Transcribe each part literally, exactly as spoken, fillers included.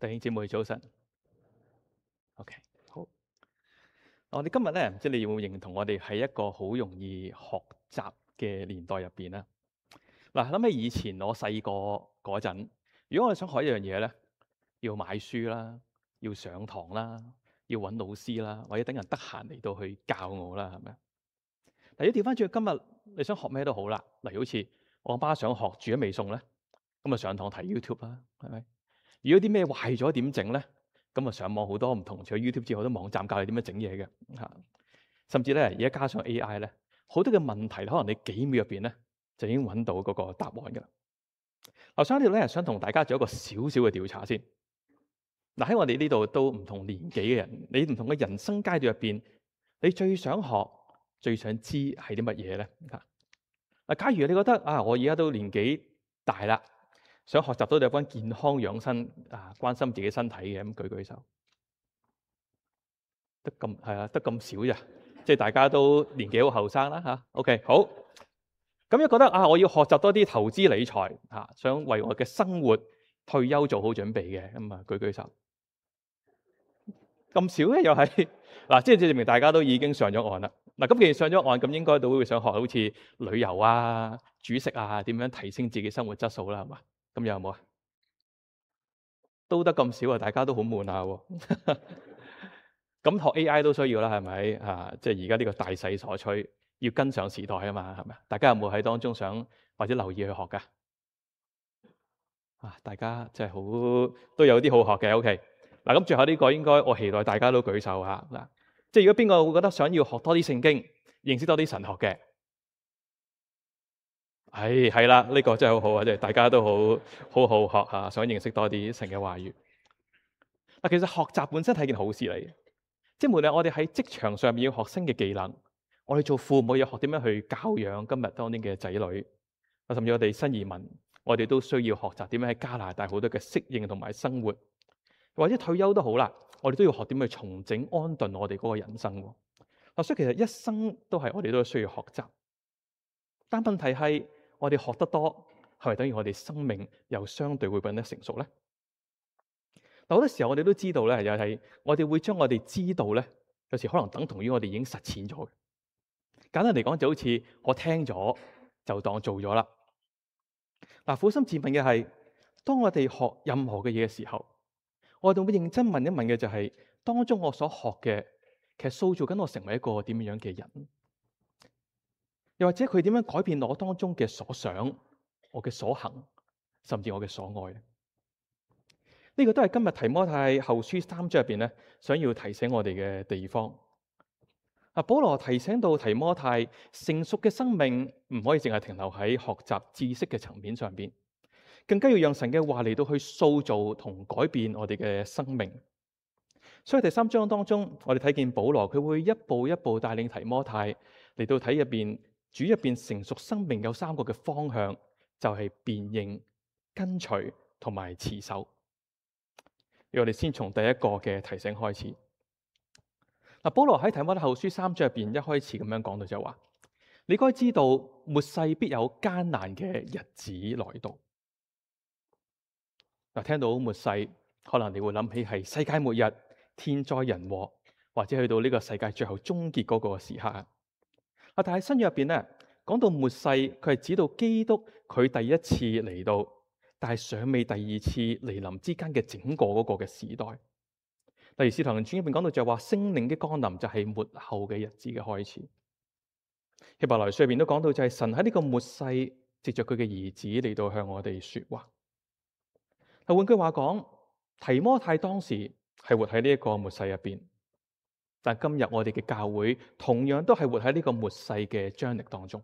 弟兄姊妹早晨。OK，好。我哋今日咧，唔知你會唔會認同我哋喺一個好容易學習嘅年代入邊咧？嗱，諗起以前我細個嗰陣，如果我哋想學一樣嘢咧，要買書啦，要上堂啦，要揾老師啦，或者等人得閒嚟到去教我啦，係咪？但如果調翻轉，今日你想學咩都好啦，例如好似我阿媽想學煮咗味餸咧，咁啊上堂睇 YouTube 啦，係咪？如果啲咩壞咗點整咧？咁啊上網好多唔同，除咗 YouTube 之外，好多網站教你點樣整嘢嘅嚇。甚至咧而家加上 A I 咧，好多嘅問題可能你幾秒入邊咧就已經揾到嗰個答案㗎啦。我想呢度咧想同大家做一個少少嘅調查先。嗱，喺我哋呢度都唔同年紀嘅人，你唔同嘅人生階段入邊，你最想學、最想知係啲乜嘢咧？嚇！啊，假如你覺得啊，我而家都年紀大啦，想學習到有關健康養生啊，關心自己身體嘅，咁舉舉手。得咁係啊，得咁少咋？即係大家都年紀好後生啦嚇。OK，好。咁樣覺得啊，我要學習多啲投資理財嚇，想為我嘅生活退休做好準備嘅，咁啊舉舉手。咁少咧又係嗱，即係證明大家都已經上咗岸啦。嗱，咁既然上咗岸，咁應該都會想學好似旅遊啊、煮食啊，點樣提升自己生活質素啦，係嘛？咁有冇啊？都得咁少啊，大家都好悶下喎。咁學 A I 都需要啦，係咪啊？即係而家呢個大勢所趨，要跟上時代啊嘛，係咪？大家有冇喺當中想或者留意去學噶？啊，大家真係好都有啲好學嘅。OK，嗱，咁最後呢個應該我期待大家都舉手吓嗱。即係如果邊個會覺得想要學多啲聖經，認識多啲神學嘅，係係啦，呢個真係好好啊！即係大家都好好好學吓，想認識多啲神嘅話語。嗱，其實學習本身係件好事嚟嘅。即係無論我哋喺職場上面要學新嘅技能，我哋做父母要學點樣去教養今日當年嘅仔女，甚至我哋新移民，我哋都需要學習點樣喺加拿大好多嘅適應同埋生活，或者退休都好啦，我哋都要學點去重整安頓我哋嗰個人生。嗱，所以其實一生都係我哋都需要學習，但問題係我哋學得多，係咪等於我哋生命又相對會變得成熟咧？好多時候我哋都知道咧，又係我哋會將我哋知道咧，有時可能等同於我哋已經實踐咗嘅。簡單嚟講，就好似我聽咗就當做咗啦。嗱，撫心自問嘅係，當我哋學任何嘅嘢嘅時候，我哋會認真問一問嘅就係，當中我所學嘅，其實塑造緊我成為一個點樣嘅人，又或者佢點樣改變我當中嘅所想、我嘅所行，甚至我嘅所愛咧？呢個都係今日提摩太後書三章入邊咧，想要提醒我哋嘅地方。啊，保羅提醒到提摩太，成熟嘅生命唔可以淨係停留喺學習知識嘅層面上邊，更加要讓神嘅話嚟到去塑造同改變我哋嘅生命。所以第三章當中，我哋睇見保羅佢會一步一步帶領提摩太嚟到睇入邊主入邊成熟生命有三個嘅方向，就係辨認、跟隨同埋持守。我哋先從第一個嘅提醒開始。嗱，保羅喺提摩太後書三章入邊一開始咁樣講到就話：你該知道末世必有艱難嘅日子來到。嗱，聽到末世，可能你會諗起係世界末日、天災人禍，或者去到呢個世界最後終結嗰個時刻。啊，但係新約入邊咧，講到末世，佢係指到基督佢第一次嚟到，但係尚未第二次嚟臨之間嘅整個嗰個嘅時代。例如使徒行傳入邊講到就係話聖靈嘅降臨就係末後嘅日子嘅開始。希伯來書入邊都講到就係神喺呢個末世藉着佢嘅兒子嚟到向我哋說話。嗱，換句話講，提摩太當時係活喺呢一個末世入邊，但今日我哋嘅教會同樣都係活喺呢個末世嘅張力當中。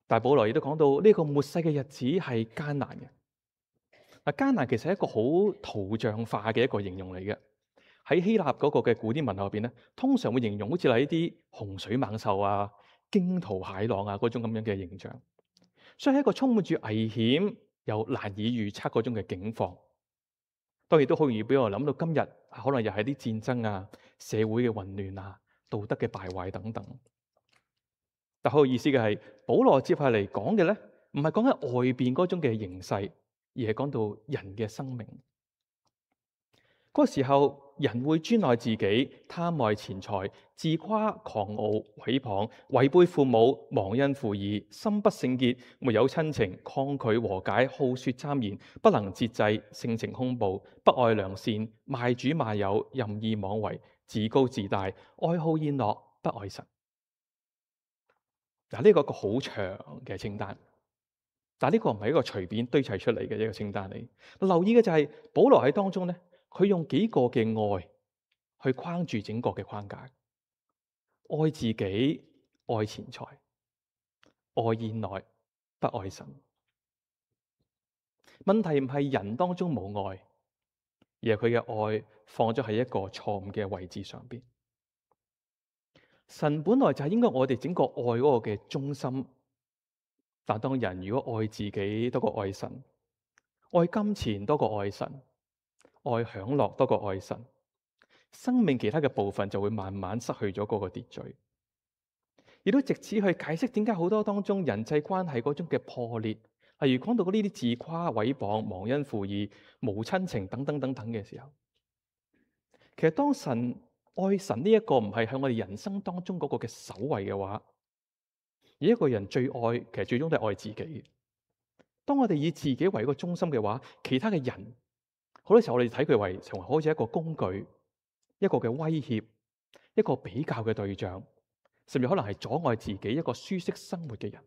但保羅亦都講到呢個末世嘅日子係艱難嘅。嗱，艱難其實係一個好圖像化嘅一個形容嚟嘅。喺希臘嗰個嘅古典文學入邊咧，通常會形容好似係一啲洪水猛獸啊、驚濤駭浪啊嗰種咁樣嘅形象，所以係一個充滿住危險又難以預測嗰種嘅境況。當然都好容易俾我諗到今日可能又係啲戰爭啊、社會嘅混亂啊、道德嘅敗壞等等。但好有意思嘅係，保羅接下嚟講嘅咧，唔係講緊外邊嗰種嘅形勢。而係講到人嘅生命。嗰個時候，人會專愛自己，貪愛錢財，自誇狂傲，毀謗，違背父母，忘恩負義，心不聖潔，沒有親情，抗拒和解，好說讒言，不能節制，性情兇暴，不愛良善，賣主賣友，任意妄為，自高自大，愛好宴樂，不愛神。嗱，呢個一個好長嘅清單，但係呢個唔係一個隨便堆砌出嚟嘅一個清單嚟。留意嘅就係保羅喺當中咧。佢用幾個嘅愛去框住整個嘅框架，愛自己，愛錢財，愛宴樂，不愛神。問題唔係人當中冇愛，而係佢嘅愛放咗喺一個錯誤嘅位置上邊。神本來就係應該我哋整個愛嗰個嘅中心，但當人如果愛自己多過愛神，愛金錢多過愛神，愛享樂多過愛神，生命其他嘅部分就會慢慢失去咗嗰個秩序，亦都藉此去解釋點解好多當中人際關係嗰種嘅破裂，例如講到呢啲自誇、毀謗、忘恩負義、無親情等等等等嘅時候，其實當神愛神呢一個唔係喺我哋人生當中嗰個嘅首位嘅話，而一個人最愛其實最終都係愛自己。當我哋以自己為一個中心嘅話，其他嘅人，好多時候我哋睇佢為成為好似一個工具，一個嘅威脅，一個比較嘅對象，甚至可能係阻礙自己一個舒適生活嘅人。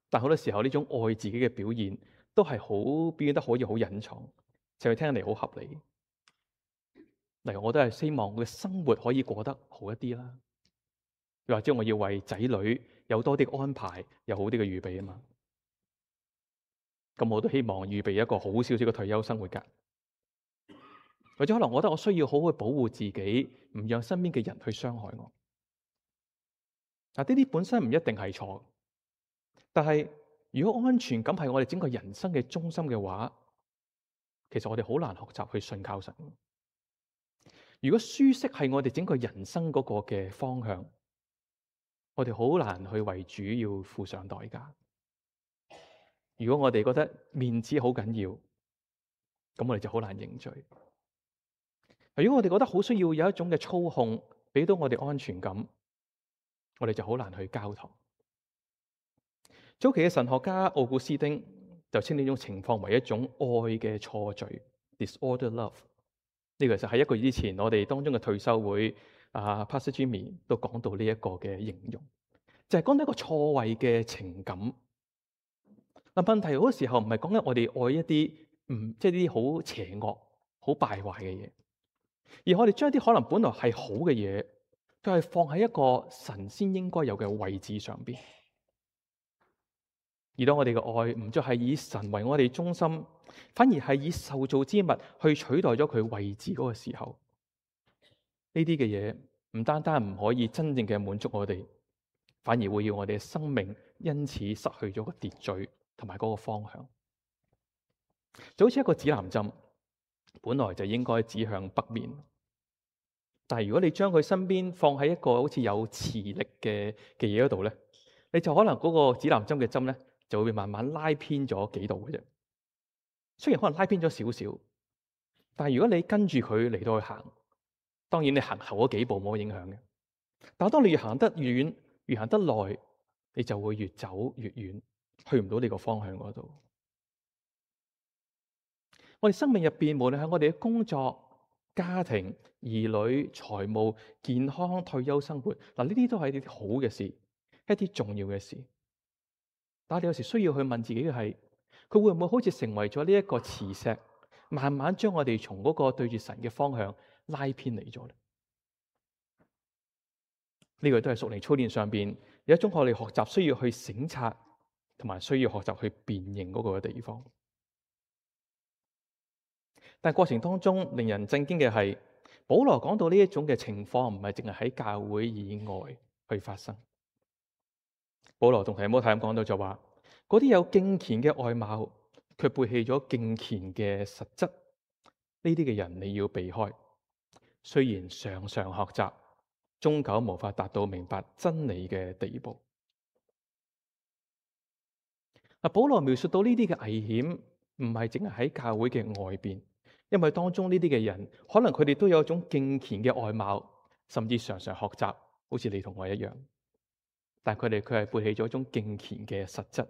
但好多時候呢種愛自己嘅表現，都係好表現得可以好隱藏，就係聽起嚟好合理。例如我都係希望我嘅生活可以過得好一啲啦，又或者我要為仔女有多啲安排，有好啲嘅預備啊嘛。咁我都希望預備一個好少少嘅退休生活噶。或者可能我覺得我需要好好保護自己，唔讓身邊嘅人去傷害我。嗱，呢啲本身唔一定係錯，但係如果安全感係我哋整個人生嘅中心嘅話，其實我哋好難學習去信靠神。如果舒適係我哋整個人生嗰個嘅方向，我哋好難去為主要付上代價。如果我哋覺得面子好緊要，咁我哋就好難認罪。如果我哋覺得好需要有一種嘅操控，俾到我哋安全感，我哋就好難去交託。早期嘅神學家奧古斯丁就稱呢種情況為一種愛嘅錯序 （disorder love）。呢個就喺一個月之前，我哋當中嘅退修會啊 Pastor Jimmy 都講到呢一個嘅形容，就係講到一個錯位嘅情感。嗱，問題好多時候唔係講緊我哋愛一啲唔即係啲好邪惡、好敗壞嘅嘢。而我哋將一啲可能本來係好嘅嘢，就係放喺一個神先應該有嘅位置上邊。而當我哋嘅愛唔再係以神為我哋中心，反而係以受造之物去取代咗佢位置嗰個時候，呢啲嘅嘢唔單單唔可以真正嘅滿足我哋，反而會要我哋嘅生命因此失去咗個秩序同埋嗰個方向。就好似一個指南針，本來就應該指向北面，但係如果你將佢身邊放喺一個好似有磁力嘅嘅嘢嗰度咧，你就可能嗰個指南針嘅針咧就會慢慢拉偏咗幾度嘅啫。雖然可能拉偏咗少少，但係如果你跟住佢嚟到去行，當然你行後嗰幾步冇影響嘅。但係當你越行得越遠，越行得耐，你就會越走越遠，去唔到你個方向嗰度。我哋生命入邊，無論係我哋嘅工作、家庭、兒女、財務、健康、退休生活，嗱，呢啲都係一啲好嘅事，一啲重要嘅事。但係你有時需要去問自己嘅係，佢會唔會好似成為咗呢一個磁石，慢慢將我哋從嗰個對住神嘅方向拉偏離咗咧？呢個都係屬靈操練上邊有一種我哋學習需要去省察，同埋需要學習去辨認嗰個地方。但係過程當中令人震驚嘅係，保羅講到呢一種嘅情況唔係淨係喺教會以外去發生。保羅同提摩太咁講到就話，嗰啲有敬虔嘅外貌，卻背棄咗敬虔嘅實質，呢啲嘅人你要避開。雖然常常學習，終究無法達到明白真理嘅地步。嗱，保羅描述到呢啲嘅危險，唔係淨係喺教會嘅外邊，因為當中呢啲嘅人，可能佢哋都有一種敬虔嘅外貌，甚至常常學習，好似你同我一樣。但佢哋佢係背棄咗一種敬虔嘅實質。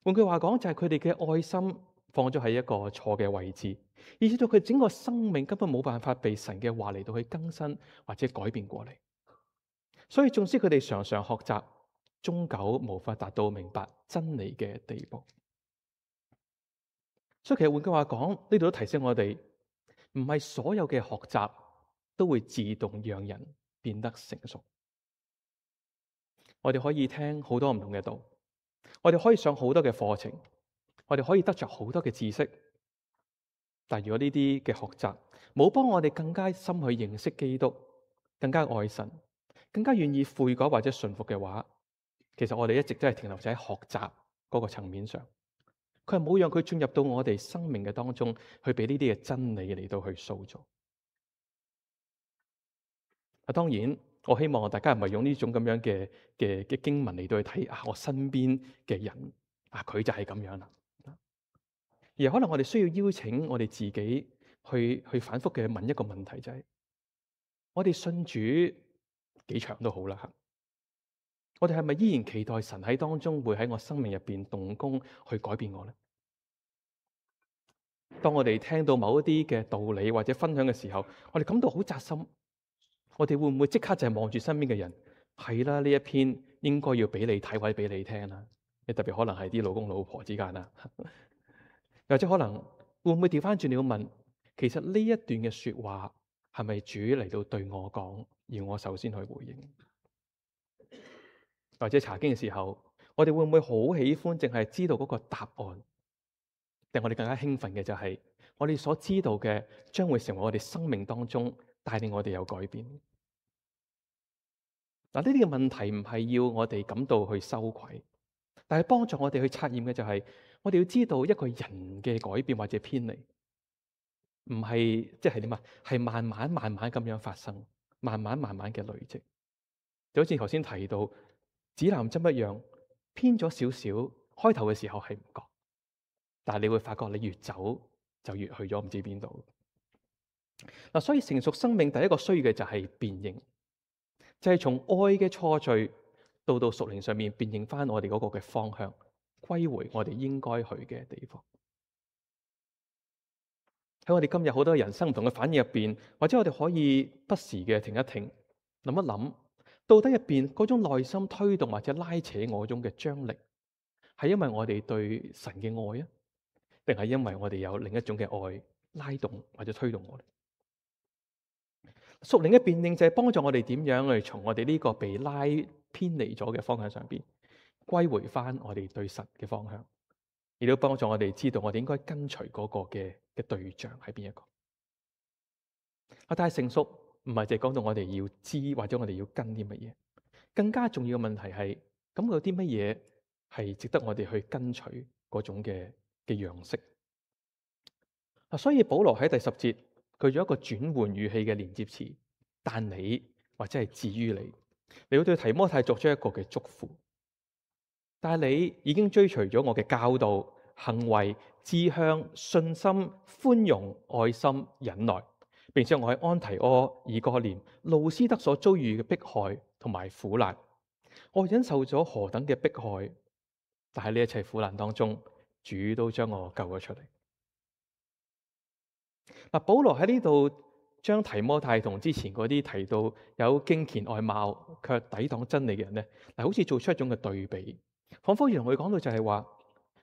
換句話講，就係佢哋嘅愛心放咗喺一個錯嘅位置，以至到佢整個生命根本冇辦法被神嘅話嚟到去更新或者改變過嚟。所以縱使佢哋常常學習，終究無法達到明白真理嘅地步。所以其實換句話講，呢度都提醒我哋，唔係所有嘅學習都會自動讓人變得成熟。我哋可以聽好多唔同嘅道，我哋可以上好多嘅課程，我哋可以得着好多嘅知識。但如果呢啲嘅學習冇幫我哋更加深去認識基督，更加愛神，更加願意悔改或者順服嘅話，其實我哋一直都係停留在喺學習嗰個層面上，佢係冇讓佢進入到我哋生命嘅當中，去俾呢啲嘅真理嚟到去塑造。啊，當然我希望大家唔係用呢種咁樣嘅嘅嘅經文嚟到去睇啊，我身邊嘅人啊，佢就係咁樣啦。而可能我哋需要邀請我哋自己去去反覆嘅問一個問題，就係我哋信主幾長都好啦，我哋係咪依然期待神喺當中會喺我生命入邊動工去改變我呢？當我哋聽到某一啲嘅道理或者分享嘅時候，我哋感到好扎心，我哋會唔會即刻就係望住身邊嘅人？係啦，呢一篇應該要俾你睇或者俾你聽啦。你特別可能係啲老公老婆之間啦，又或者可能會唔會調翻轉你要問，其實呢一段嘅說話係咪主嚟到對我講，而我首先去回應？或者查經嘅時候，我哋會唔會好喜歡淨係知道嗰個答案？定我哋更加興奮嘅就係我哋所知道嘅將會成為我哋生命當中帶領我哋有改變。嗱，呢啲嘅問題唔係要我哋感到去羞愧，但係幫助我哋去察驗嘅就係我哋要知道一個人嘅改變或者偏離，唔係即係點啊？係慢慢慢慢咁樣發生，慢慢慢慢嘅累積。就好似頭先提到指南針一樣，偏咗少少，開頭嘅時候係唔覺。但係你會發覺，你越走就越去咗唔知邊度。嗱，所以成熟生命第一個需要嘅就係辨認，就係從愛嘅錯序到到屬靈上面辨認翻我哋嗰個嘅方向，歸回我哋應該去嘅地方。喺我哋今日好多人生唔同嘅反應入邊，或者我哋可以不時嘅停一停，諗一諗，到底入邊嗰種內心推動或者拉扯我種嘅張力，係因為我哋對神嘅愛啊，定係因為我哋有另一種嘅愛拉動或者推動我哋？屬靈嘅辨認就係幫助我哋點樣去從我哋呢個被拉偏離咗嘅方向上邊歸回翻我哋對神嘅方向，亦都幫助我哋知道我哋應該跟隨嗰個嘅嘅對象係邊一個。啊，但係成熟唔係淨係講到我哋要知或者我哋要跟啲乜嘢，更加重要嘅問題係咁有啲乜嘢係值得我哋去跟隨嗰種嘅嘅樣式。啊，所以保羅喺第十節，佢用一個轉換語氣嘅連接詞，但你或者係至於你，你要對提摩太作出一個嘅祝福。但係你已經追隨咗我嘅教導、行為、志向、信心、寬容、愛心、忍耐，並且我喺安提阿、以哥念、路斯德所遭遇嘅迫害同埋苦難，我忍受咗何等嘅迫害，但係呢一切苦難當中，主都將我救咗出嚟。嗱，保羅喺呢度將提摩太同之前嗰啲提到有敬虔外貌卻抵擋真理嘅人咧，嗱，好似做出一種嘅對比，仿佛要同佢講到就係話，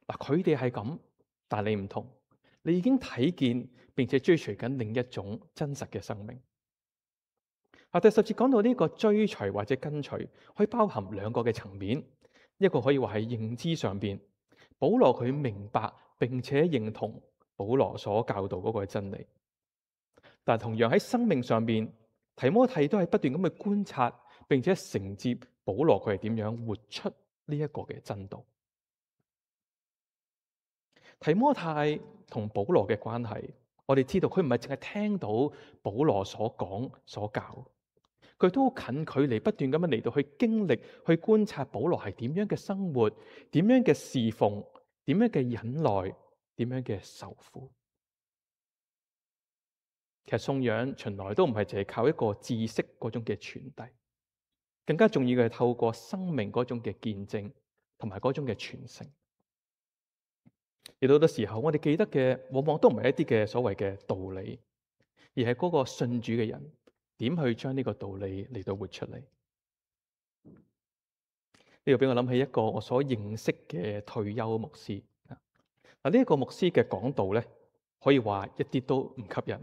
嗱，佢哋係咁，但係你唔同，你已經睇見並且追隨緊另一種真實嘅生命。啊，第十節講到呢個追隨或者跟隨，可以包含兩個嘅層面，一個可以話係認知上邊，保羅佢明白並且認同保羅所教導嗰個真理，但同樣喺生命上邊，提摩太都係不斷咁去觀察，並且承接保羅佢係點樣活出呢一個嘅真道。提摩太同保羅嘅關係，我哋知道佢唔係淨係聽到保羅所講所教，佢都好近距離不斷咁樣嚟到去經歷、去觀察保羅係點樣嘅生活、點樣嘅侍奉、點樣嘅忍耐、點樣嘅受苦。其實信仰從來都唔係淨係靠一個知識嗰種嘅傳遞，更加重要嘅係透過生命嗰種嘅見證同埋嗰種嘅傳承。而到好多時候，我哋記得嘅往往都唔係一啲嘅所謂嘅道理，而係嗰個信主嘅人點去將呢個道理嚟到活出嚟。呢個俾我諗起一個我所認識嘅退休牧師。嗱，呢一個牧師嘅講道咧，可以話一啲都唔吸引。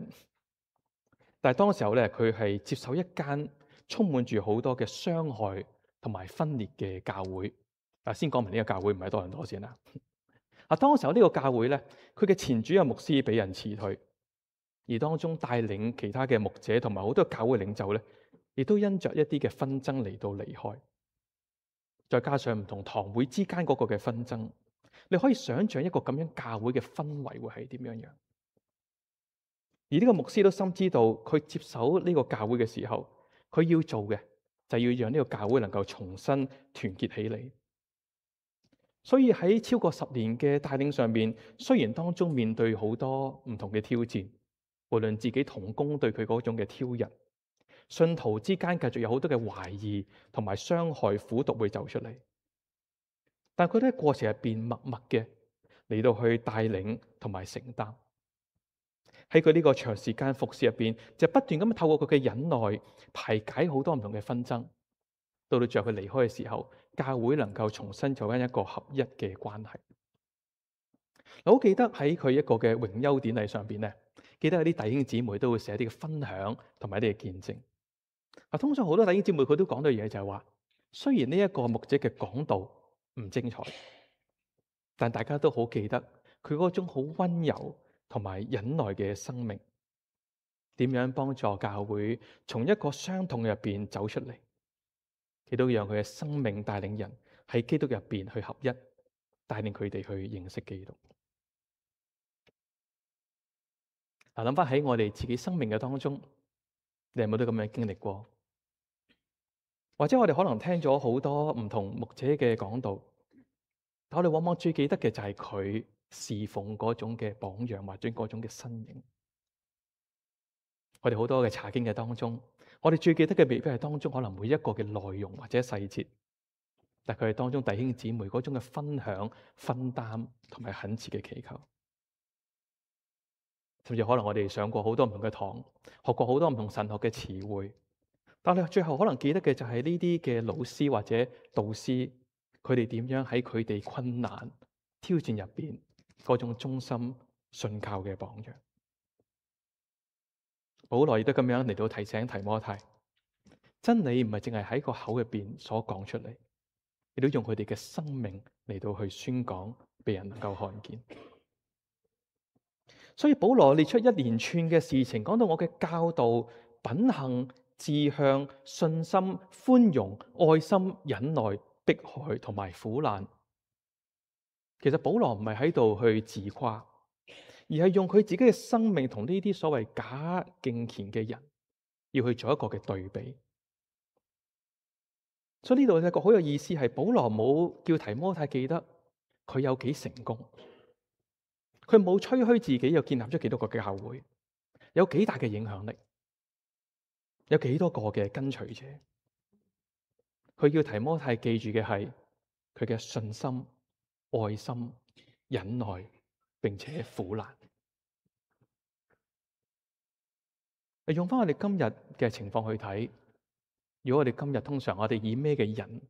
但係當時候咧，佢係接受一間充滿住好多嘅傷害同埋分裂嘅教會。啊，先講明呢個教會唔係多倫多先啦。啊，當時候呢個教會咧，佢嘅前主任牧師俾人辭退，而當中帶領其他嘅牧者同埋好多教會領袖咧，亦都因着一啲嘅紛爭嚟到離開。再加上唔同堂會之間嗰個嘅紛爭，你可以想象一個咁樣教會嘅氛圍會係點樣樣。而呢個牧師都深知道，佢接手呢個教會嘅時候，佢要做嘅就係要讓呢個教會能夠重新團結起嚟。所以喺超過十年嘅帶領上面，雖然當中面對好多唔同嘅挑戰，無論自己同工對佢嗰種嘅挑釁，信徒之間繼續有好多嘅懷疑同埋傷害苦毒會走出嚟，但佢都喺過程入邊默默嘅嚟到去帶領同埋承擔。喺佢呢個長時間服侍入邊，就不斷咁透過佢嘅忍耐排解好多唔同嘅紛爭，到到最後佢離開嘅時候，教會能夠重新做緊一個合一嘅關係。我好記得喺佢一個嘅榮休典禮上邊咧，記得有啲弟兄姊妹都會寫一啲嘅分享同埋一啲嘅見證。啊，通常好多弟兄姊妹佢都講到嘢就係話，雖然呢一個牧者嘅講道唔精彩，但大家都好記得佢嗰種好溫柔同埋忍耐嘅生命，點樣幫助教會從一個傷痛入邊走出嚟，亦都讓佢嘅生命帶領人喺基督入邊去合一，帶領佢哋去認識基督。嗱，諗翻喺我哋自己生命嘅當中，你有冇都咁樣經歷過？或者我哋可能聽咗好多唔同牧者嘅講道，但我哋往往最記得嘅就係佢侍奉嗰種嘅榜樣或者嗰種嘅身影。我哋好多嘅查經嘅當中，我哋最記得嘅未必係當中可能每一個嘅內容或者細節，但佢係當中弟兄姊妹嗰種嘅分享、分擔同埋懇切嘅祈求。甚至可能我哋上過好多唔同嘅堂，學過好多唔同神學嘅詞彙，但係最後可能記得嘅就係呢啲嘅老師或者導師，佢哋點樣喺佢哋困難挑戰入邊嗰種忠心信靠嘅榜樣。保羅亦都咁樣嚟到提醒提摩太，真理唔係淨係喺個口入邊所講出嚟，亦都用佢哋嘅生命嚟到去宣講，俾人能夠看見。所以保羅列出一連串嘅事情，講到我嘅教導、品行、志向、信心、寬容、愛心、忍耐、迫害同埋苦難。其實保羅唔係喺度去自誇，而係用佢自己嘅生命同呢啲所謂假敬虔嘅人，要去做一個嘅對比。所以呢度有一個好有意思，係保羅冇叫提摩太記得佢有幾成功。佢冇吹噓自己又建立咗幾多個嘅教會，有幾大嘅影響力，有幾多個嘅跟隨者。佢要提摩太記住嘅係佢嘅信心、愛心、忍耐，並且苦難。用翻我哋今日嘅情況去睇，如果我哋今日通常我哋以咩嘅人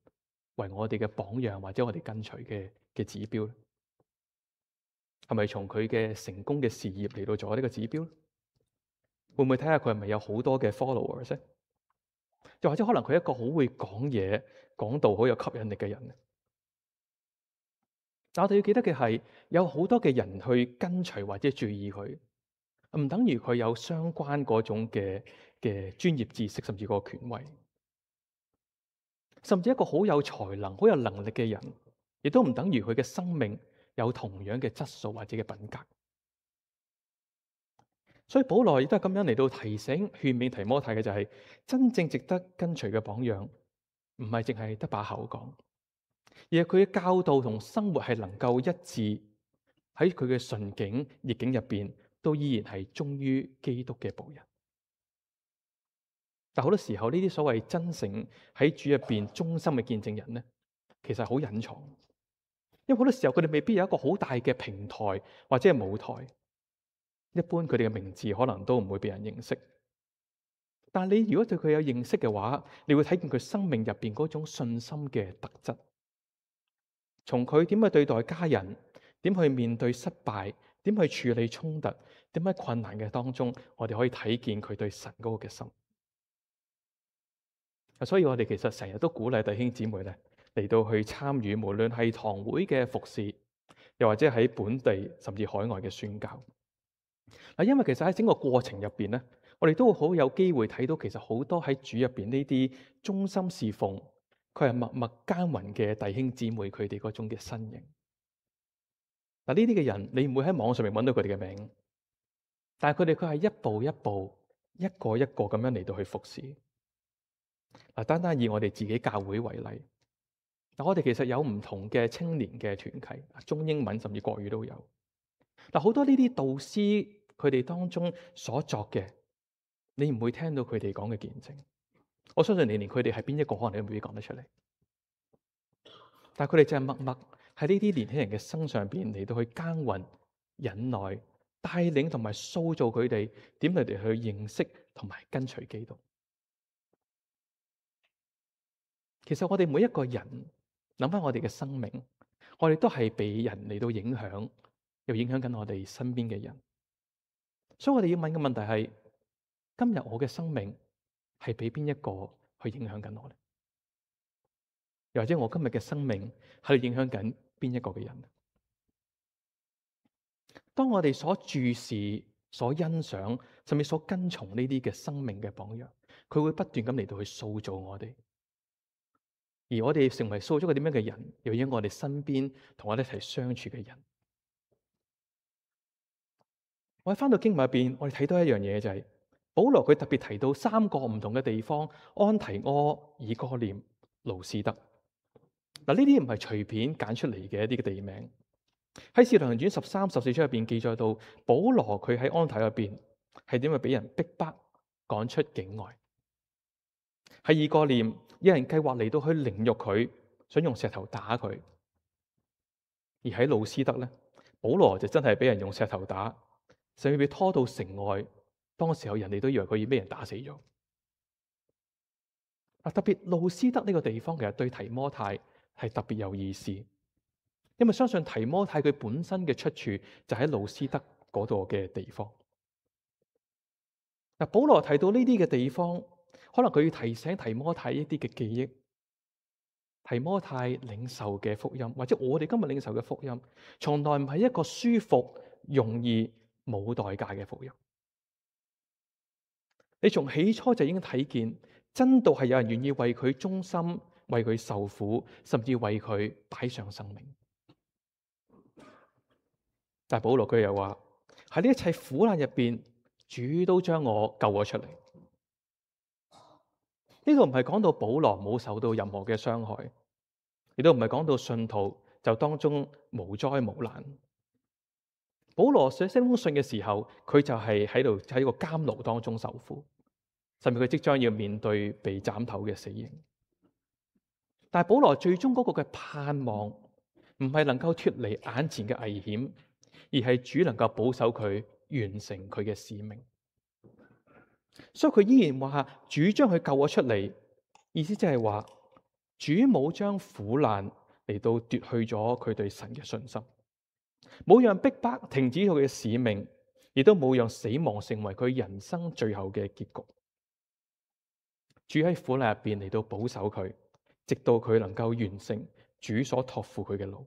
為我哋嘅榜樣或者我哋跟隨嘅嘅指標咧？係咪從佢嘅成功嘅事業嚟到做呢個指標？會唔會睇下佢係咪有好多嘅 followers？又或者可能佢係一個好會講嘢、講道好有吸引力嘅人？但我哋要記得嘅係，有好多嘅人去跟隨或者注意佢，唔等於佢有相關嗰種嘅嘅專業知識，甚至個權威。甚至一個好有才能、好有能力嘅人，亦都唔等於佢嘅生命有同樣嘅質素或者嘅品格。所以保羅亦都係咁樣嚟到提醒勸勉提摩太嘅就係、是、真正值得跟隨嘅榜樣，唔係淨係得把口講，而係佢嘅教導同生活係能夠一致，喺佢嘅順境逆境入邊都依然係忠於基督嘅僕人。但好多時候呢啲所謂真誠喺主入邊忠心嘅見證人咧，其實好隱藏，因為好多時候佢哋未必有一個好大嘅平台或者係舞台，一般佢哋嘅名字可能都唔會被人認識。但你如果對佢有認識嘅話，你會睇見佢生命入邊嗰種信心嘅特質，從佢點去對待家人，點去面對失敗，點去處理衝突，點喺困難嘅當中，我哋可以睇見佢對神嗰個嘅心。所以我哋其實成日都鼓勵弟兄姊妹咧嚟到去參與，無論係堂會嘅服侍，又或者喺本地甚至海外嘅宣教。嗱，因為其實喺整個過程入邊咧，我哋都好有機會睇到，其實好多喺主入邊呢啲忠心侍奉，佢係默默耕耘嘅弟兄姊妹，佢哋嗰種嘅身影。嗱，呢啲嘅人你唔會喺網上面揾到佢哋嘅名，但係佢哋佢係一步一步、一個一個咁樣嚟到去服侍。嗱，單單以我哋自己教會為例，嗱，我哋其實有唔同嘅青年嘅團契，中英文甚至國語都有。嗱，好多呢啲導師佢哋當中所作嘅，你唔會聽到佢哋講嘅見證。我相信你連佢哋係邊一個，可能你都未必講得出嚟。但係佢哋就係默默喺呢啲年輕人嘅身上邊嚟到去耕耘、忍耐、帶領同埋塑造佢哋，點嚟哋去認識同埋跟隨基督。其實我哋每一個人諗翻我哋嘅生命，我哋都係被人嚟到影響，又影響緊我哋身邊嘅人。所以我哋要問嘅問題係：今日我嘅生命係俾邊一個去影響緊我咧？又或者我今日嘅生命係影響緊邊一個嘅人？當我哋所注視、所欣賞，甚至所跟從呢啲嘅生命嘅榜樣，佢會不斷咁嚟到去塑造我哋。而我哋成為塑造一個點樣嘅人，又因我哋身邊同我哋一齊相處嘅人。我喺翻到經文入邊，我哋睇到一樣嘢就係、是、保羅佢特別提到三個唔同嘅地方：安提阿、以哥念、路斯德。嗱，呢啲唔係隨便揀出嚟嘅一啲嘅地名。喺《使徒行傳》十三、十四章入邊記載到，保羅佢喺安提阿入邊係點樣俾人逼迫趕出境外。喺以哥念，有人計劃嚟到去凌辱佢，想用石頭打佢；而喺路斯德咧，保羅就真係俾人用石頭打，甚至被拖到城外。當時候人哋都以為佢已俾人打死咗。啊，特別路斯德呢個地方其實對提摩太係特別有意思，因為相信提摩太佢本身嘅出處就喺路斯德嗰度嘅地方。嗱，保羅提到呢啲嘅地方，可能佢要提醒提摩太一啲嘅記憶，提摩太領受嘅福音，或者我哋今日領受嘅福音，從來唔係一個舒服、容易、冇代價嘅福音。你從起初就已經睇見，真道係有人願意為佢忠心，為佢受苦，甚至為佢擺上生命。但係保羅佢又話喺呢一切苦難入邊，主都將我救咗出嚟。呢度唔係講到保羅冇受到任何嘅傷害，亦都唔係講到信徒就當中無災無難。保羅寫呢封信嘅時候，佢就係喺度喺個監牢當中受苦，甚至佢即將要面對被斬頭嘅死刑。但係保羅最終嗰個嘅盼望，唔係能夠脫離眼前嘅危險，而係主能夠保守佢完成佢嘅使命。所以佢依然話主將佢救咗出嚟，意思即係話主冇將苦難嚟到奪去咗佢對神嘅信心，冇讓逼迫停止佢嘅使命，亦都冇讓死亡成為佢人生最後嘅結局。主喺苦難入邊嚟到保守佢，直到佢能夠完成主所託付佢嘅路。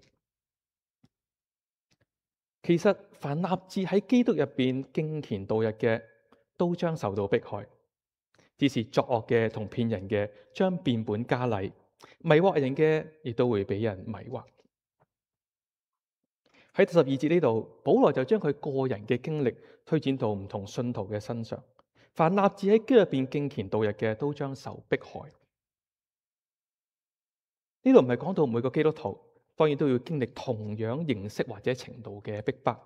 其實凡立志喺基督入邊敬虔度日嘅，都將受到迫害，只是作惡嘅同騙人嘅將變本加厲，迷惑人嘅亦都會俾人迷惑。喺第十二節呢度，保羅就將佢個人嘅經歷推展到唔同信徒嘅身上。凡立志喺基督入邊敬虔度日嘅，都將受迫害。呢度唔係講到每個基督徒當然都要經歷同樣形式或者程度嘅逼迫，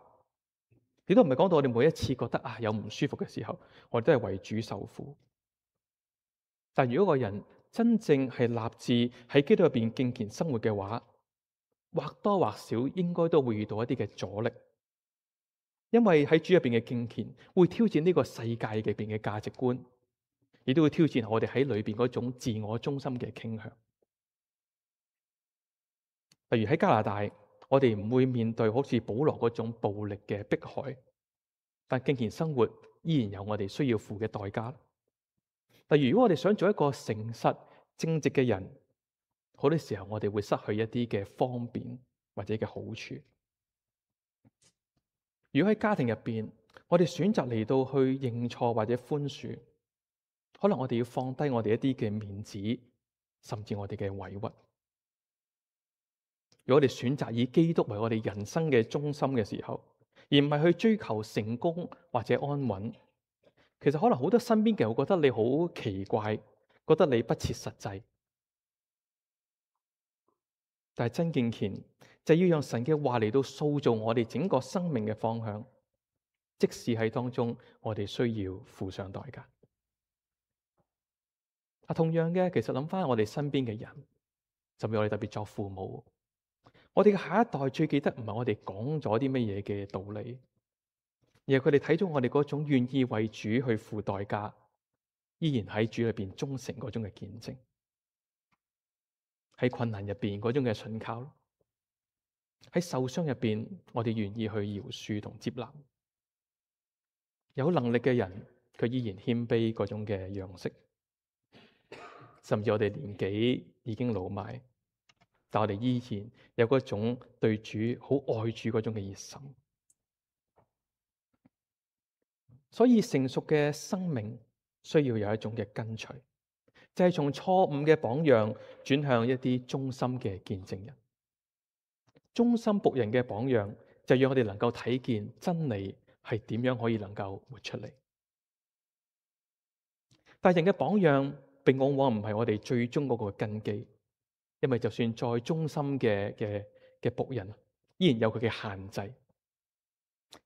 亦都唔係講到我哋每一次覺得啊有唔舒服嘅時候，我哋都係為主受苦。但如果個人真正係立志喺基督入邊敬虔生活嘅話，或多或少應該都會遇到一啲嘅阻力，因為喺主入邊嘅敬虔會挑戰呢個世界入邊嘅價值觀，亦都會挑戰我哋喺裏邊嗰種自我中心嘅傾向。例如喺加拿大，我哋唔會面對好似保羅嗰種暴力嘅迫害，但敬虔生活依然有我哋需要付嘅代價。例如如果我哋想做一個誠實正直嘅人，好多時候我哋會失去一啲嘅方便或者嘅好處。如果喺家庭入邊，我哋選擇嚟到去認錯或者寬恕，可能我哋要放低我哋一啲嘅面子，甚至我哋嘅委屈。如果我哋選擇以基督為我哋人生嘅中心嘅時候，而唔係去追求成功或者安穩，其實可能好多身邊嘅人會覺得你好奇怪，覺得你不切實際。但係真敬虔就要讓神嘅話嚟到塑造我哋整個生命嘅方向，即使喺當中我哋需要付上代價。啊，同樣嘅，其實諗翻我哋身邊嘅人，甚至我哋特別作父母，我哋嘅下一代最記得唔係我哋講咗啲乜嘢嘅道理，而係佢哋睇咗我哋嗰種願意為主去付代價，依然喺主裏邊忠誠嗰種嘅見證，喺困難入邊嗰種嘅信靠，喺受傷入邊我哋願意去饒恕同接納。有能力嘅人，佢依然謙卑嗰種嘅樣式，甚至我哋年紀已經老邁，但我哋依然有嗰種對主好愛主嗰種嘅熱心。所以成熟嘅生命需要有一種嘅跟隨，就係從錯誤嘅榜樣轉向一啲忠心嘅見證人。忠心僕人嘅榜樣，就讓我哋能夠睇見真理係點樣可以能夠活出嚟。但人嘅榜樣，並往往唔係我哋最終嗰個根基，因為就算再忠心嘅嘅嘅僕人，依然有佢嘅限制。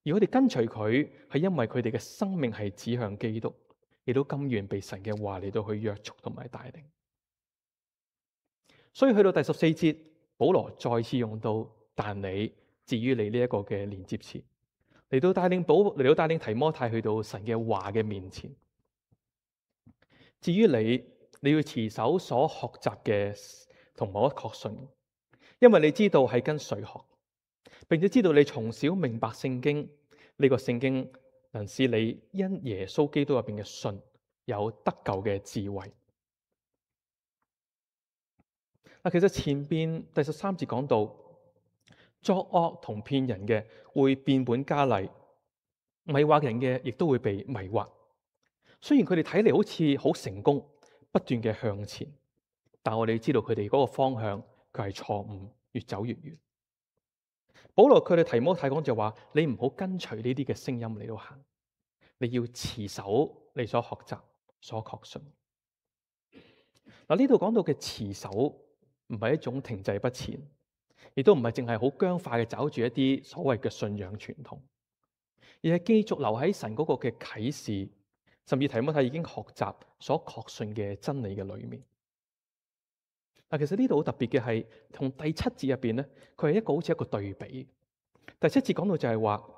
而我哋跟隨佢，係因為佢哋嘅生命係指向基督，亦都甘願被神嘅話嚟到去約束同埋帶領。所以去到第十四節，保羅再次用到但你至於你呢一個嘅連接詞，嚟到帶領保嚟到帶領提摩太去到神嘅話嘅面前。至於你，你要持守所學習嘅同我確信，因為你知道係跟誰學，並且知道你從小明白聖經，呢、這個聖經能使你因耶穌基督入邊嘅信有得救嘅智慧。嗱，其實前邊第十三節講到，作惡同騙人嘅會變本加厲，迷惑人嘅亦都會被迷惑。雖然佢哋睇嚟好似好成功，不斷嘅向前，但我哋知道佢哋嗰個方向佢係錯誤，越走越遠。保羅佢哋提摩太講就話：你唔好跟隨呢啲嘅聲音嚟到行，你要持守你所學習、所確信。嗱，呢度講到嘅持守唔係一種停滯不前，亦都唔係淨係好僵化嘅找住一啲所謂嘅信仰傳統，而係繼續留喺神嗰個嘅啟示，甚至提摩太已經學習所確信嘅真理嘅裏面。嗱，其實呢度好特別嘅係，同第七節入邊咧，佢係一個好似一個對比。第七節講到就係話，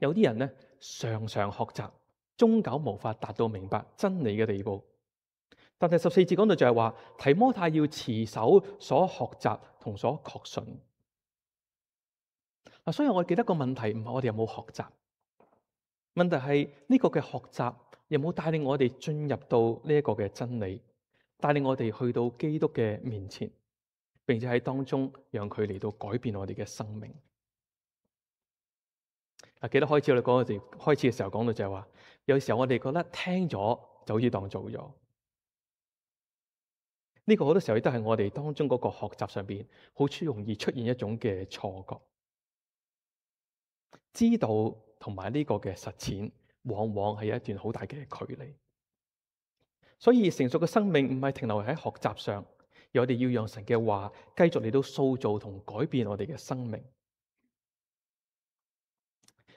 有啲人咧常常學習，終究無法達到明白真理嘅地步。但第十四節講到就係話，提摩太要持守所學習同所確信。嗱，所以我記得個問題唔係我哋有冇學習，問題係呢個嘅學習有冇帶領我哋進入到呢一個嘅真理，帶領我哋去到基督嘅面前，並且喺當中讓佢嚟到改變我哋嘅生命。啊，記得開始我哋講嗰時，開始嘅時候講到就係話，有時候我哋覺得聽咗就好似當做咗。呢個好多時候亦都係我哋當中嗰個學習上邊好容易出現一種嘅錯覺。知道同埋呢個嘅實踐，往往係有一段好大嘅距離。所以成熟嘅生命唔係停留喺學習上，而我哋要讓神嘅話繼續嚟到塑造同改變我哋嘅生命。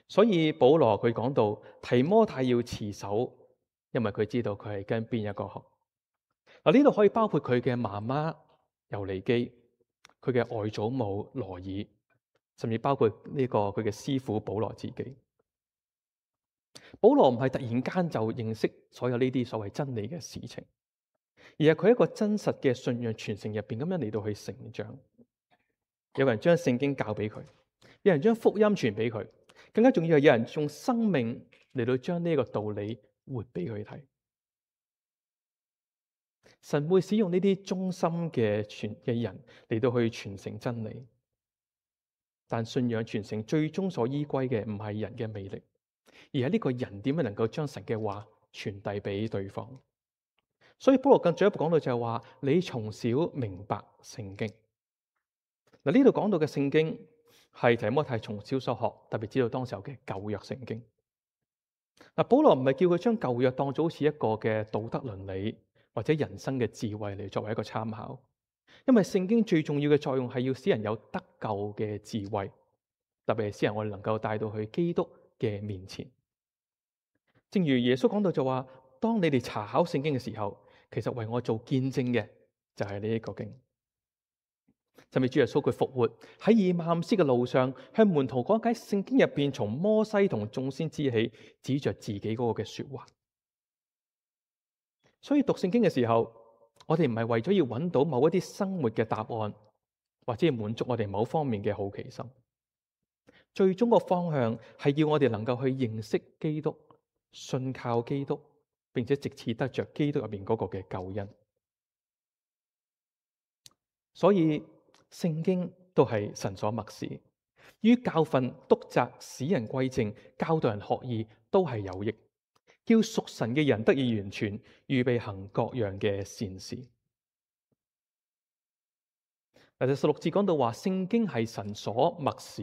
所以保羅佢講到提摩太要持守，因為佢知道佢係跟邊一個學。嗱，呢度可以包括佢嘅媽媽尤尼基，佢嘅外祖母羅爾，甚至包括呢個佢嘅師傅保羅自己。保羅唔係突然間就認識所有呢啲所謂真理嘅事情，而係佢一個真實嘅信仰傳承入邊咁樣嚟到去成長。有人將聖經教俾佢，有人將福音傳俾佢，更加重要係有人用生命嚟到將呢個道理活俾佢睇。神會使用呢啲忠心嘅傳嘅人嚟到去傳承真理，但信仰傳承最終所依歸嘅唔係人嘅魅力，而係呢個人點樣能夠將神嘅話傳遞俾對方。所以保羅更進一步講到就係話，你從小明白聖經。嗱，呢度講到嘅聖經係提摩太從小所學，特別知道當時候嘅舊約聖經。嗱，保羅唔係叫佢將舊約當做好似一個嘅道德倫理或者人生嘅智慧嚟作為一個參考，因為聖經最重要嘅作用係要使人有得救嘅智慧，特別係使人我哋能夠帶到去基督嘅面前。正如耶穌講到就話，當你哋查考聖經嘅時候，其實為我做見證嘅就係呢一個經。甚至主耶穌佢復活喺以馬忤斯嘅路上，向門徒講解聖經入邊從摩西同眾先知起，指着自己嗰個嘅說話。所以讀聖經嘅時候，我哋唔係為咗要揾到某一啲生活嘅答案，或者要滿足我哋某方面嘅好奇心。最終個方向係要我哋能夠去認識基督，信靠基督，並且藉此得着基督入邊嗰個嘅救恩。所以聖經都係神所默示，於教訓、督責、使人歸正、教導人學義，都係有益，叫屬神嘅人得以完全，預備行各樣嘅善事。嗱，第十六節講到話，聖經係神所默示，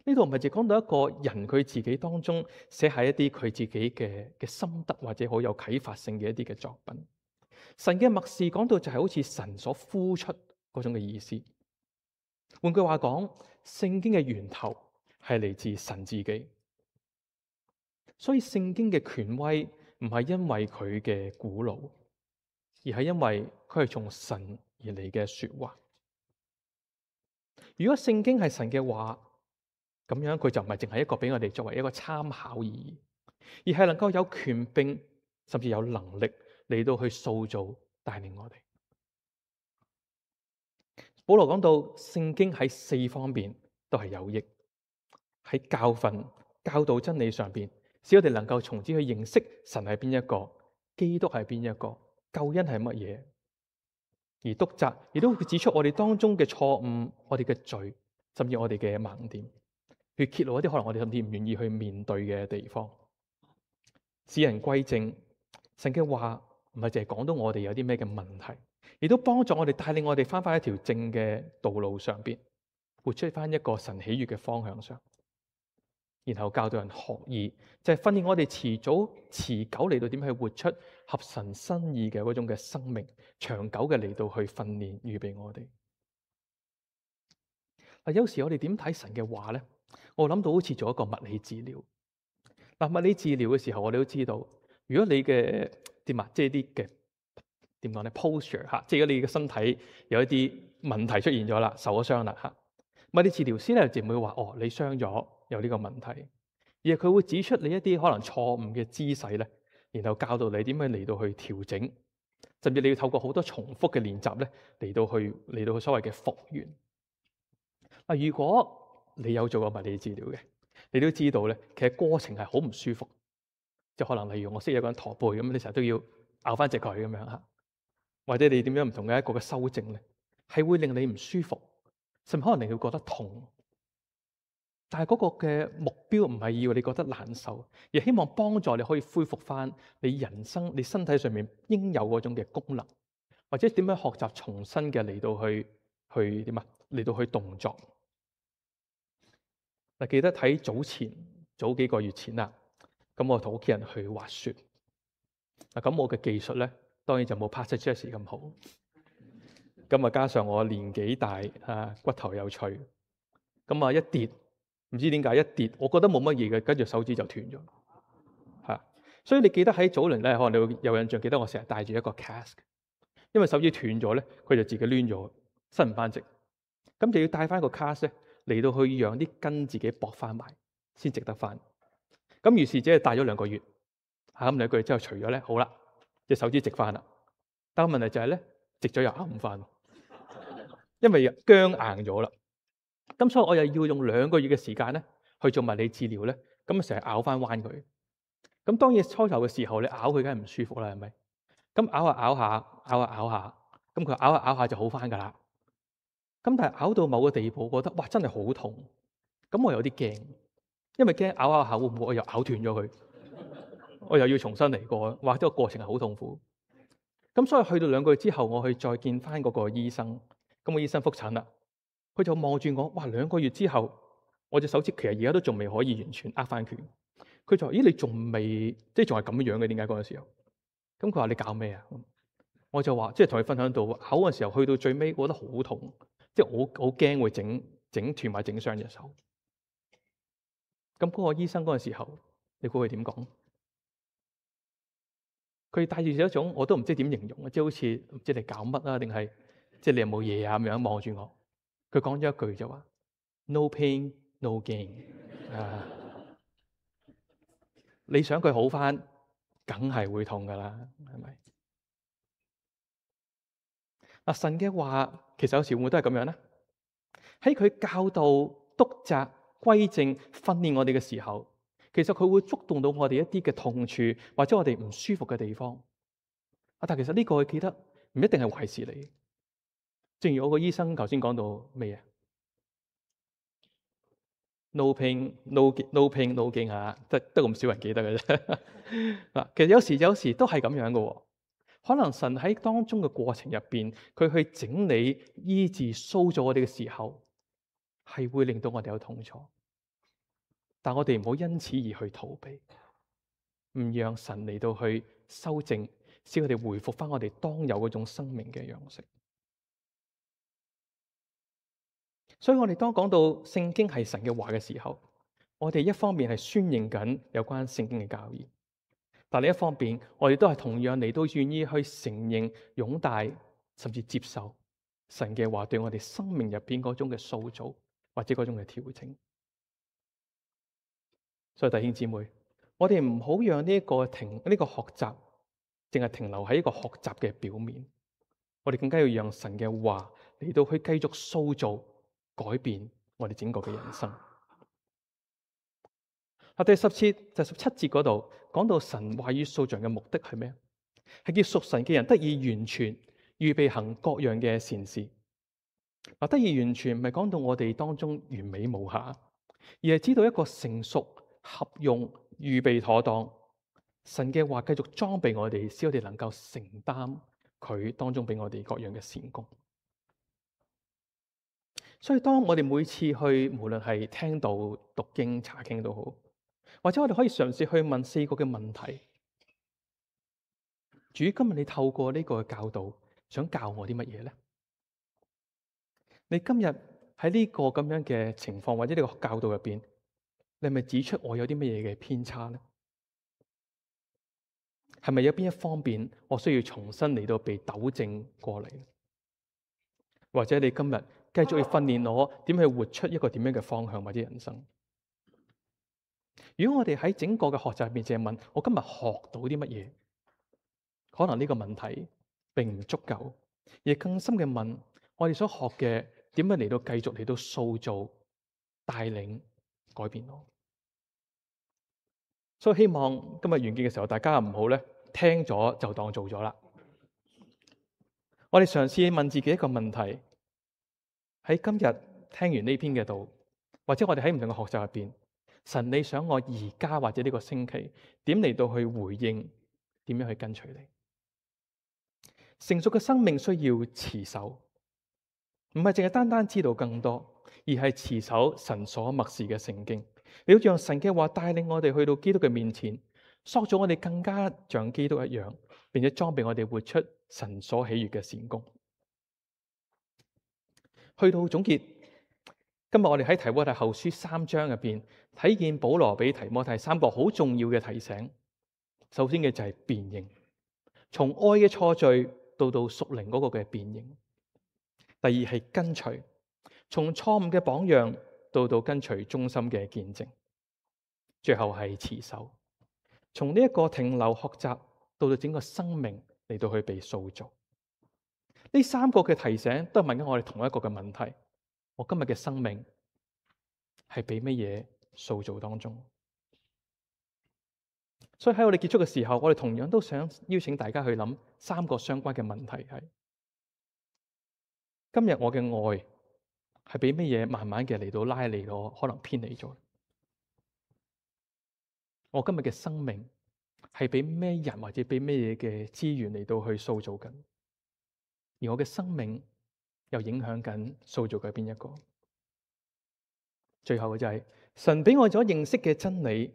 呢度唔係淨講到一個人佢自己當中寫下一啲佢自己嘅嘅心得或者好有啟發性嘅一啲嘅作品。神嘅默示講到就係好似神所呼出嗰種嘅意思。換句話講，聖經嘅源頭係嚟自神自己，所以聖經嘅權威唔係因為佢嘅古老，而係因為佢係從神而嚟嘅說話。如果聖經係神嘅話，咁樣佢就唔係淨係一個俾我哋作為一個參考而已，而係能夠有權柄甚至有能力嚟到去塑造帶領我哋。保羅講到聖經喺四方面都係有益，喺教訓、教導真理上邊，使我哋能夠從此去認識神係邊一個，基督係邊一個，救恩係乜嘢。而督責亦都會指出我哋當中嘅錯誤、我哋嘅罪，甚至我哋嘅盲點，去揭露一啲可能我哋甚至唔願意去面對嘅地方。使人歸正，神嘅話唔係淨係講到我哋有啲咩嘅問題，亦都幫助我哋帶領我哋翻返一條正嘅道路上邊，活出翻一個神喜悅嘅方向上。然後教導人學義，就係訓練我哋遲早持久嚟到點去活出合神心意嘅嗰種嘅生命，長久嘅嚟到去訓練預備我哋。嗱，有時我哋點睇神嘅話咧？我諗到好似做一個物理治療。嗱，物理治療嘅時候，我哋都知道，如果你嘅點啊，即係啲嘅點講咧 posture 吓，即係如果你嘅身體有一啲問題出現咗啦，受咗傷啦吓，物理治療師咧就唔會話哦，你傷咗有呢個問題，而係佢會指出你一啲可能錯誤嘅姿勢咧，然後教導你點樣嚟到去調整，甚至你要透過好多重複嘅練習咧嚟到去嚟到去所謂嘅復原。嗱，如果你有做過物理治療嘅，你都知道咧，其實過程係好唔舒服，即係可能例如我識有個人駝背咁，你成日都要拗翻直佢咁樣吓，或者你點樣唔同嘅一個嘅修正咧，係會令你唔舒服，甚至可能令你會覺得痛。但係嗰個嘅目標唔係要你覺得難受，而希望幫助你可以恢復翻你人生、你身體上面應有嗰種嘅功能，或者點樣學習重新嘅嚟到去去點啊，嚟到去動作。嗱，記得睇早前早幾個月前啦，咁我同屋企人去滑雪。嗱，咁我嘅技術咧，當然就冇 Pastor Jesse 咁好。咁啊，加上我年紀大啊，骨頭有脆，咁啊一跌，唔知點解一跌，我覺得冇乜嘢嘅，跟住手指就斷咗。嚇！所以你記得喺早年咧，可能你會有印象，記得我成日帶住一個 cast，因為手指斷咗咧，佢就自己攣咗，伸唔翻直。咁就要帶翻個 cast 咧嚟到去讓啲筋自己駁翻埋，先直得翻。咁於是只係帶咗兩個月，嚇咁兩個月之後除咗咧，好啦，隻手指直翻啦。但係問題就係咧，直咗又拗唔翻，因為僵硬咗啦。咁所以我又要用兩個月嘅時間咧去做物理治療咧，咁啊成日拗翻彎佢。咁當然初頭嘅時候，你拗佢梗係唔舒服啦，係咪？咁拗下拗下，拗下拗下，咁佢拗下拗下就好翻噶啦。咁但係拗到某個地步，覺得哇真係好痛，咁我有啲驚，因為驚拗拗下會唔會我又拗斷咗佢，我又要重新嚟過，或者個過程係好痛苦。咁所以去到兩個月之後，我去再見翻嗰個醫生，咁個醫生覆診啦，佢就望住我，哇兩個月之後，我隻手指其實而家都仲未可以完全握翻拳。佢就話：咦，你仲未即係仲係咁樣嘅？點解嗰陣時候？咁佢話：你搞咩啊？我就話：即係同佢分享到咬嗰陣時候，去到最尾，我覺得好痛，即係我好驚會整整斷或整傷隻手。咁嗰個醫生嗰陣時候，你估佢點講？佢帶住一種我都唔知點形容啊，即係好似唔知你搞乜啊，定係即係你有冇嘢啊咁樣望住我。佢講咗一句就話：No pain, no gain。啊！你想佢好翻，梗係會痛噶啦，係咪？嗱，神嘅話其實有時會唔會都係咁樣咧？喺佢教導、督責、歸正、訓練我哋嘅時候，其實佢會觸動到我哋一啲嘅痛處，或者我哋唔舒服嘅地方。啊，但係其實呢個我記得唔一定係壞事嚟。正如我個醫生頭先講到咩啊？No pain, no no pain, no gain 嚇，得得咁少人記得嘅啫。嗱，其實有時有時都係咁樣嘅。可能神喺當中嘅過程入邊，佢去整理、醫治、塑造我哋嘅時候，係會令到我哋有痛楚。但我哋唔好因此而去逃避，唔讓神嚟到去修正，使我哋回復翻我哋當有嗰種生命嘅樣式。所以我哋當講到聖經係神嘅話嘅時候，我哋一方面係宣認緊有關聖經嘅教義，但另一方面，我哋都係同樣嚟到願意去承認、擁戴，甚至接受神嘅話對我哋生命入邊嗰種嘅塑造，或者嗰種嘅調整。所以弟兄姊妹，我哋唔好讓呢一個停呢個學習，淨係停留喺一個學習嘅表面。我哋更加要讓神嘅話嚟到去繼續塑造、改變我哋整個嘅人生。啊，第十節就十七節嗰度講到神話語塑造嘅目的係咩？係叫屬神嘅人得以完全，預備行各樣嘅善事。啊，得以完全唔係講到我哋當中完美無瑕，而係知道一個成熟、合用、預備妥當。神嘅話繼續裝備我哋，使我哋能夠承擔佢當中俾我哋各樣嘅善功。所以當我哋每次去，無論係聽到、讀經、查經都好，或者我哋可以嘗試去問四個嘅問題。主，今日你透過呢個教導，想教我啲乜嘢咧？你今日喺呢個咁樣嘅情況或者呢個教導入邊，你係咪指出我有啲乜嘢嘅偏差咧？係咪有邊一方面我需要重新嚟到被糾正過嚟？或者你今日繼續要訓練我點去活出一個點樣嘅方向或者人生？如果我哋喺整個嘅學習入邊淨係問我今日學到啲乜嘢，可能呢個問題並唔足夠，而更深嘅問我哋所學嘅點樣嚟到繼續嚟到塑造、帶領、改變我。所以希望今日完結嘅時候，大家唔好咧聽咗就當做咗啦。我哋嘗試問自己一個問題：喺今日聽完呢篇嘅道，或者我哋喺唔同嘅學習入邊，神你想我而家或者呢個星期點嚟到去回應，點樣去跟隨你？成熟嘅生命需要持守，唔係淨係單單知道更多，而而係持守神所默示嘅聖經。你要讓神嘅話帶領我哋去到基督嘅面前，塑造我哋更加像基督一樣，並且裝備我哋活出神所喜悅嘅善工。去到總結，今日我哋喺提摩太後書三章入邊睇見保羅俾提摩太三個好重要嘅提醒。首先嘅就係辨認，從愛嘅錯序到到屬靈嗰個嘅辨認。第二係跟隨，從錯誤嘅榜樣到到跟隨忠心嘅見證。最後係持守，從呢一個停留學習到到整個生命嚟到去被塑造。呢三個嘅提醒都係問緊我哋同一個嘅問題：我今日嘅生命係俾乜嘢塑造當中？所以喺我哋結束嘅時候，我哋同樣都想邀請大家去諗三個相關嘅問題：係今日我嘅愛係俾乜嘢慢慢嘅嚟到拉離我，可能偏離咗？我今日嘅生命係俾咩人或者俾咩嘢嘅資源嚟到去塑造緊？而我嘅生命又影響緊塑造嘅邊一個？最後嘅就係、是、神俾我所認識嘅真理，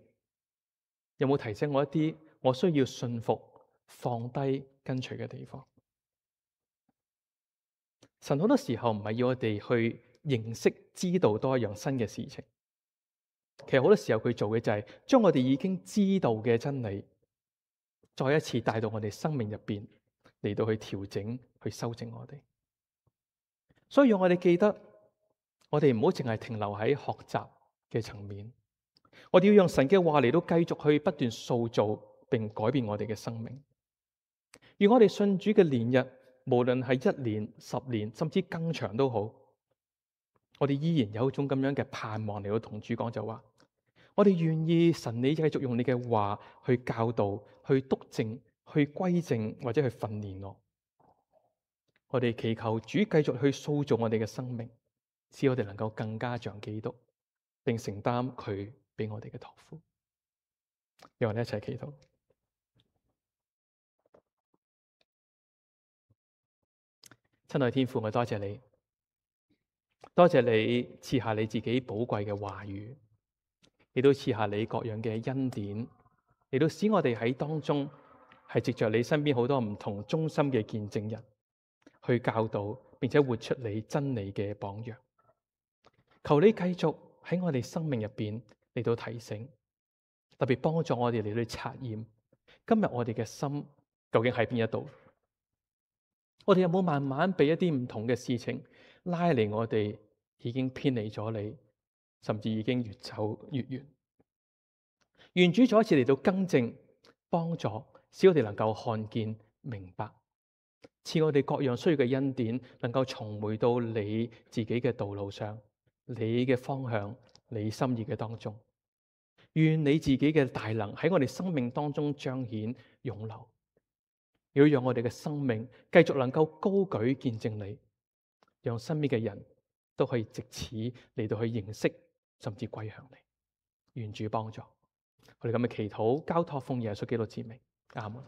有冇提醒我一啲我需要信服、放低、跟隨嘅地方？神好多時候唔係要我哋去認識、知道多一樣新嘅事情，其實好多時候佢做嘅就係將我哋已經知道嘅真理，再一次帶到我哋生命入邊嚟到去調整、去修正我哋。所以讓我哋記得，我哋唔好淨係停留喺學習嘅層面，我哋要用神嘅話嚟到繼續去不斷塑造並改變我哋嘅生命。而我哋信主嘅年日，無論係一年、十年，甚至更長都好，我哋依然有一種咁樣嘅盼望嚟到同主講，就話我哋願意神你繼續用你嘅話去教導、去督正、去歸正或者去訓練我。我哋祈求主繼續去塑造我哋嘅生命，使我哋能夠更加像基督，並承擔佢俾我哋嘅託付。讓我哋一齊祈禱。親愛天父，我多謝你，多謝你賜下你自己寶貴嘅話語，亦都賜下你各樣嘅恩典，亦都使我哋喺當中係藉着你身邊好多唔同忠心嘅見證人，去教導並且活出你真理嘅榜樣。求你繼續喺我哋生命入邊嚟到提醒，特別幫助我哋嚟到察驗今日我哋嘅心究竟喺邊一度。我哋有冇慢慢被一啲唔同嘅事情拉離我哋，已經偏離咗你，甚至已經越走越遠。願主再一次嚟到更正、幫助，使我哋能夠看見、明白，賜我哋各樣需要嘅恩典，能夠重回到你自己嘅道路上，你嘅方向、你心意嘅當中。願你自己嘅大能喺我哋生命當中彰顯湧流。要讓我哋嘅生命繼續能夠高舉見證你，讓身邊嘅人都可以藉此嚟到去認識，甚至歸向你。願主幫助我哋咁嘅祈禱，交託奉耶穌基督之名，阿門。